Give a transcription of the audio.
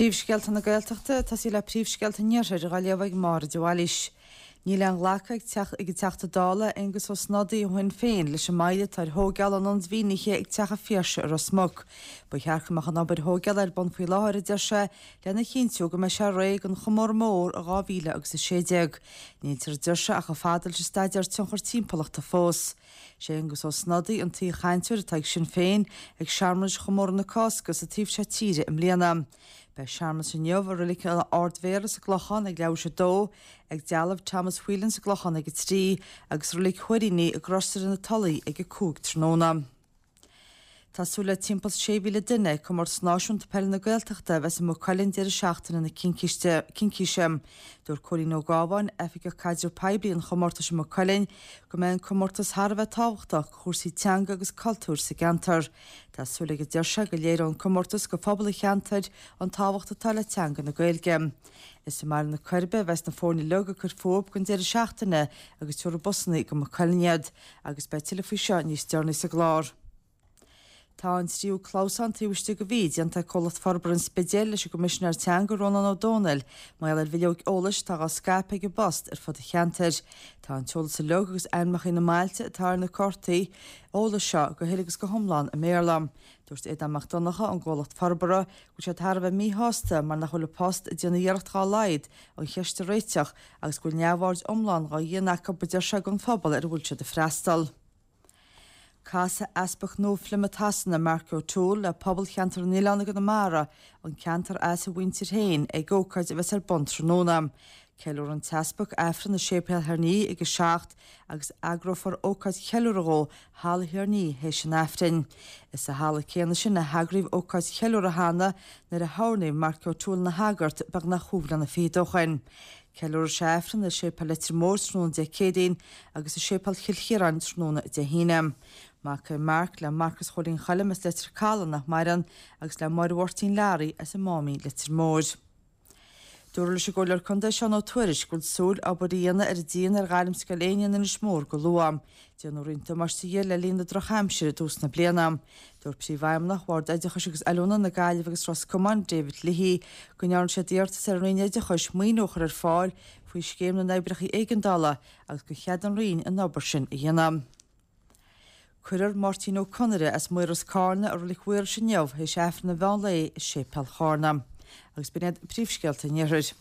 Príomhscéalta na Gaeltachta, ag tosaí le príomhscéalta an Iarthair, á léamh ag Máire de Bhailís. Níl aon ghlacadh ag ag an Teachta Dála Aengus Ó Snodaigh ó Shinn Féin leis an moill atá ar thóigeáil an ionaid mhínithe ag Teach an Phiarsaigh i Ros Muc. Ba cheart go mbeadh an obair thóigeála ar bun faoi láthair, a deir sé, lena chinntiú go mbeidh sé réidh don chomóradh mór i 2016. Níltear, a deir sé, ach chomh fada leis an staidéar tionchar timpeallachta fós. Sé Aengus Ó Snodaigh an t-aoi-chainteoir atá ag Sinn Féin ag searmanais chomóradh na Cásca sa taobh seo tíre i mbliana. Beidh searmanas inniu i Reilig an Ardmhéara sa gClochán ag leathuair tar éis a dó, ag dealbh Thomas Whelan sa gClochán ag a 3 agus i Reilig Thuairíní i gCrosaire na Tulaí ag a 5 tráthnóna. Tá súil le timpeall 6,000 duine ag Comórtas Náisiúnta Peile na Gaeltachta a bheas i Maigh Cuilinn deireadh seachtaine na Cincíse. Dúirt Cóilín Ó Gábháin, Oifigeach Caidreamh Poiblí an chomórtais i Maigh Cuilinn, go mbeidh an comórtas thar a bheith tábhachtach do chúrsaí teanga agus cultúir sa gceantar. Tá súil aige, a deir sé, go léireoidh an comórtas go phobal an cheantair an tábhacht atá le teanga na Gaeilge. Is i mBaile na Coiribe a bheas na foirne uilig ag cur fúthu don deireadh seachtaine agus tabharfaidh busanna go Maigh Cuilinn iad. Agus beidh tuilleadh faoi seo níos deireanaí sa gclár. Tá an tríú clamhsán taobh istigh de mhí déanta ag Comhlacht Forbartha an Spidéil leis an gCoimisinéir Teanga Rónán Ó Domhnaill mar gheall ar bhileoig eolais atá dhá scaipeadh ag an bpost ar fud an cheantair. Tá an t-eolas uilig agus ainmneacha na mbailte atá ar na cártaí eolais seo go huile agus go hiomlán i mBéarla. Dúirt Aodán Mac Donncha ón gcomhlacht forbartha go bhfuil siad thar a bheith míshásta mar nach bhfuil an Post ag déanamh iarracht dhá laghad an cheist a réiteach agus go bhfuil neamhaird iomlán dhá dhéanamh acu, a deir sé, den phobal ar a bhfuil siad ag freastal. Casfaidh Easpag nua Phlymouth Shasana, Mark O'Toole, le pobal cheantar na nOileán i gConamara, an ceantar as a mhuintir féin, ag ócáid a bheas ar bun tráthnóna. Ceiliúrfaidh an tEaspag Aifreann i Séipéal Thír an Fhia ag a 7 agus eagrófar ócáid cheiliúrtha dhó i Halla Thír an Fhia théis an Aifrinn. Is sa halla céanna sin a heagraíodh ócáid cheiliúrtha cheana nuair a hoirníodh Mark O'Toole ina shagart beagnach chúig bhliana fichead ó shoin. Ceiliúrfaidh sé Aifreann i Séipéal Leitir Móir tráthnóna Dé Céadaoin agus i Séipéal Chill Chiaráin tráthnóna Dé hAoine. Mac é Mark le Marcas Chóilín Choilm as Leitir Caladh nach maireann agus le Máire Mháirtín Learaí as an Máimín Leitir Móir. Dúradh leis an gComhairleoir Contae Seán Ó Tuairisg go bhfuil súil obair a dhéanamh ar an díon ar Ghairmscoil Éinne in Inis Mór go luath. Déanadh roinnt damáiste dhi le linn na drochaimsire i dtús na bliana. Dúirt Príomhfheidhmeannach Bhord Oideachais agus Oiliúna na Gaillimhe agus Ros Comáin, David Leahy, go ndearna siad iarratas ar an Roinn Oideachais maoiniú a chur ar fáil faoi Scéim na nOibreacha Éigeandála agus gur cheadaigh an Roinn an obair sin a dhéanamh. Cuirfear Máirtín Ó Conaire as Maoras Cárna i Roilig Mhaorais inniu théis Aifreann an mheán lae i Séipéal Chárna. Agus b'in iad príomhscéalta an Iarthair.